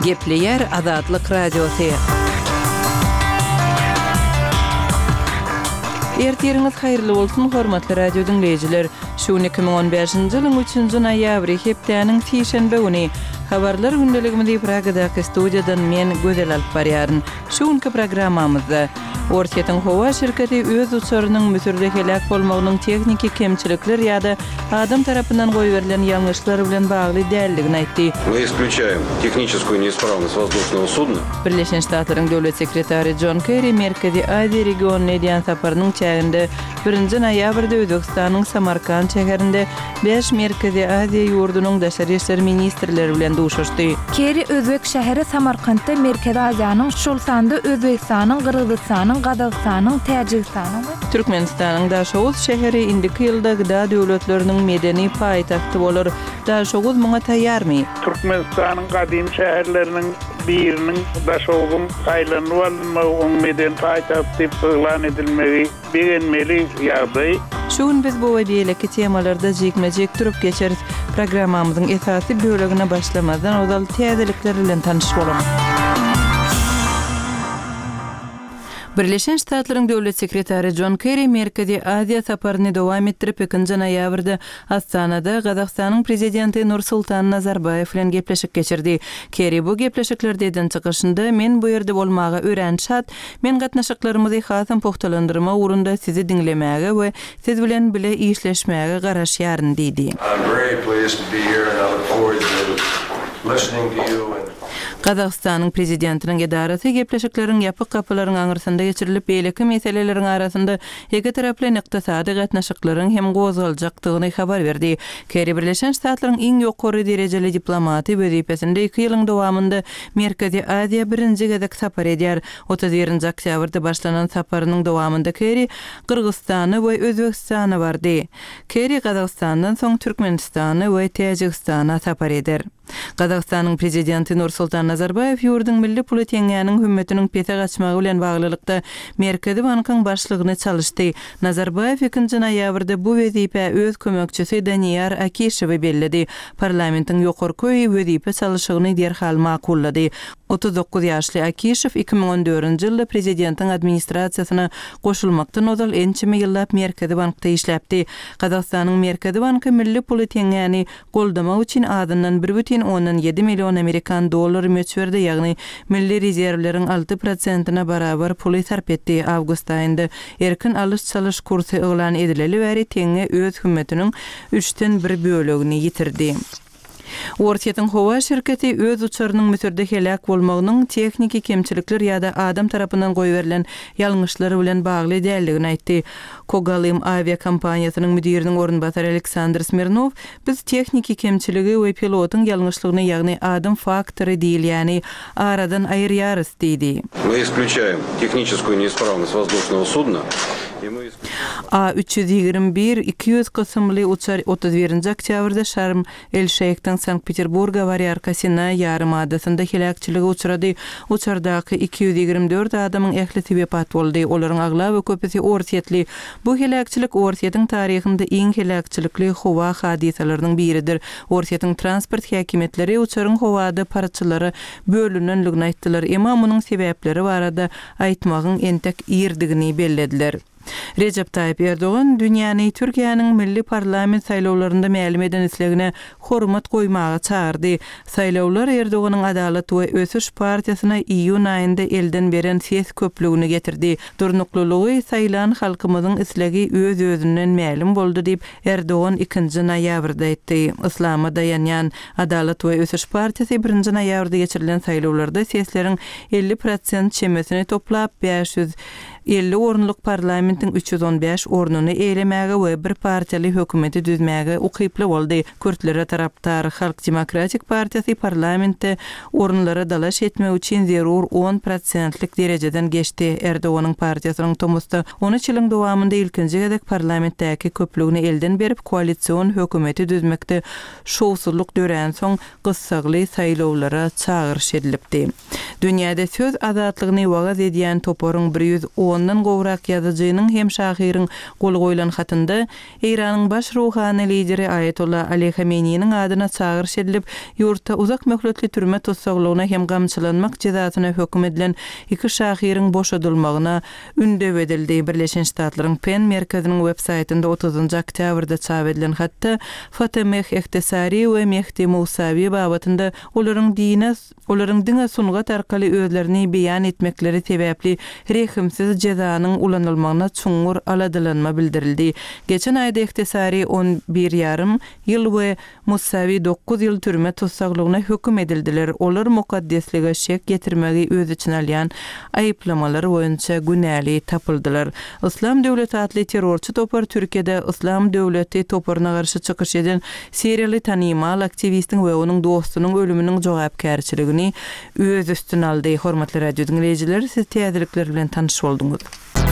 Gepleýär Azatlyk Radiosy. Ertiriňiz haýyrly bolsun, hormatly radio diňleýjiler! Şu gün 2015-nji ýylyň üçünji noýabry, hepdäniň sişenbe güni. Habarlar gündeligimizi Pragadaky studiýadan men, Gözel alyp barýaryn. Şu günki programmamyzda, Orsýetiň howa şirketi öz uçarynyň Müsürde heläk bolmagynyň tehniki kemçilikler ýa-da adam tarapyndan goýberilen ýalňyşlar bilen bagly däldigini aýtdy. Мы исключаем техническую неисправность воздушного судна. Birleşen Ştatlaryň Döwlet sekretary Jon Kerri Merkezi Aziýa regionyna edýän saparynyň çäginde birinji noýabrda Özbegistanyň Samarkand şäherinde Bäş Merkezi Aziýa ýurdunyň daşary işler ministrleri bilen duşuşdy. Kerri özbek şäheri Samarkantda Merkezi Aziýanyň, şol sanda Özbegistanyň, Gyrgyzystanyň, Gazagystanyň, Täjigistanyň we. Türkmenistanyň Daşoguz şäheri indiki ýylda gda döwletleriniň medeni paýtagty bolar. Daşoguz muňa taýýarmy? Türkmenistanyň gadymy şäherleriniň biriniň Daşoguzyň saýlanyp alynmagy, onuň medeni paýtagt diýip yglan edilmegi Begenmeli ýagdaý. Şu gün biz bu we beýleki temalarda jikme-jik durup geçeris. Programmamyzyň esasy bölegine başlamazdan ozal täzelikler bilen tanyş boluň. Birleşen Ştatlaryň Döwlet sekretary Jon Kerri Merkezi Aziýa saparyny dowam etdirip, ikinji noýabrda Astanada Gazagystanyň Prezidenti Nursultan Nazarbaýew bilen gepleşik geçirdi. Kerri bu gepleşiklerde eden çykyşynda, Men bu ýerde bolmaga örän şat, Men gatnaşyklarymyzy hasam pugtalandyrmak ugrunda sizi diňlemäge we siz bilen bile işleşmäge garaşýaryn diýdi. Gazagystanyň Prezidentiniň edarasy gepleşikleriň ýapyk gapylaryň aňyrsynda geçirilip, beýleki meseleleriň arasynda ikitaraplaýyn ykdysady gatnaşyklaryň hem gozgaljakdygyny habar berdi. Kerri Birleşen Ştatlaryň iň ýokary derejeli diplomaty wezipesinde iki ýylyň dowamynda Merkezi Aziýa birinji gezek sapar edýär. 31-nji oktýabrda başlanan saparynyň dowamynda Kerri Gyrgyzystana we Özbegistana bardy. Kerri Gazagystandan soň Türkmenistana we Täjigistana sapar eder. Gazagystanyň Prezidenti Nursultan Nazarbaýew ýurduň milli puly teňňäniň hümmetiniň pese gaçmagy bilen baglylykda Merkezi bankyň başlygyny çalyşdy. Nazarbaýew ikinji noýabrda bu wezipä öz kömekçisi Daniýar Akişewi belledi. Parlamentiň ýokarky öýi wezipe çalyşygyny derhal makullady. 39 ýaşly Akişew 2014-nji ýylda prezidentiň administrasiýasyna goşulmakdan ozal ençeme ýyllap Merkezi bankda işläpdi. Gazagystanyň Merkezi banky milli puly teňňäni goldamak üçin azyndan bir bütin ondan ýedi million amerikan dollary möçberde, ýagny milli rezerwleriň alty prosentine barabar puly sarp etdi. Awgust aýynda erkin alyş-çalyş kursy yglan edileli bäri teňňe öz hümmetiniň üçden bir bölegini ýitirdi. Orsýetiň howa şirketi öz uçarynyň Müsürde heläk bolmagynyň tehniki kemçilikler ýa-da adam tarapyndan goýberilen ýalňyşlar bilen bagly däldigini aýtdy. Kogalym awiakompaniýasynyň müdiriniň orunbasary Aleksandr Smirnow, Biz tehniki kemçiligi we pilotyň ýalňyşlygyny, ýagny adam faktory diýilýäni aradan aýyrýarys diýdi. Мы исключаем техническую неисправность воздушного судна и мы A 321, 200 kysymly uçar 31-nji oktýabrda Şarm El-Şeýhden Sankt-Peterburga barýarka Sinaý ýarym adasynda heläkçilige uçrady. Uçardaky 224 adamyň ählisi wepat boldy, olaryň aglaba köpüsi orsýetli. Bu heläkçilik Orsýetiň taryhynda iň heläkçilikli howa hadysalarynyň biridir. Orsýetiň transport häkimiýetleri uçaryň howada parçalara bölünenligini aýtdylar, emma munuň sebäpleri barada aýtmagyň entek irdigini bellediler. Rejep Taýyp Erdogan dünýäni Türkiýäniň milli parlament saýlawlarynda mälim eden islegine hormat goýmaga çagyrdy. Saýlawlar Erdoganyň Adalat we ösüş partiýasyna iýun aýynda elden beren ses köplügini getirdi. Durnuklylygy saýlan halkymyzyň islegi öz-özünden mälim boldy diýip, Erdogan ikinji noýabrda aýtdy. Yslama daýanýan Adalat we ösüş partiýasy birinji noýabrda geçirilen saýlawlarda sesleriň 50 prosent çemesini toplap, 550 orunlyk parlamentiň 315 ornuny eýelemäge we bir partiýaly hökümeti düzmäge ukyply boldy. Kürtlere tarapdar Halk demokratik partiýasy parlamentde orunlara dalaş etmek üçin zerur on prosentlik derejeden geçdi. Erdoganyň partiýasynyň tomusda 13 ýylyň dowamynda ilkinji gezek parlamentdäki köplügini elden berip, koalision hökümeti düzmekde şowsuzlyk döränsoň, gyssagly saýlawlara çagyryş edilipdi. Dünýäde söz azatlygyny wagyz edýän toparyň 110. ondan gowrak ýazyjynyň hem şahyryň goly goýlan hatynda Eýranyň baş ruhany lideri Aýatolla Ali Hameneýiniň adyna çagyryş edilip, ýurtda uzak möhletli türme tussaglygyna hem gamçylanmak jezasyna höküm edilen iki şahyryň boşadylmagyna ündew edildi. Birleşen Ştatlaryň PEN merkeziniň web-saýtynda otuzynjy oktýabrda çap edilen hatda Fatemeh Ehtesari we Mehdi Mousawi babatynda olaryň dine Olaryň diňe sungat arkaly özlerini beýan etmekleri sebäpli rehimsiz jezanyň ulanylmagyna çuňňur aladalanma bildirildi. Geçen aýda Ehtesari on bir ýarym ýyl we Musawi dokuz ýyl türme tussaglygyna höküm edildiler. Olar mukaddeslige şek ýetirmegi öz içine alýan aýyplamalar boýunça günäli tapyldylar. Yslam döwleti atly terrorçy topar Türkiýede Yslam döwleti toparyna garşy çykyş eden Siriýaly tanymal aktiwistiň we onuň dostunyň ölüminiň jogapkärçiligini öz üstüne aldy. Hormatly radio diňleýjiler, siz täzelikler bilen tanyş bolduňyz.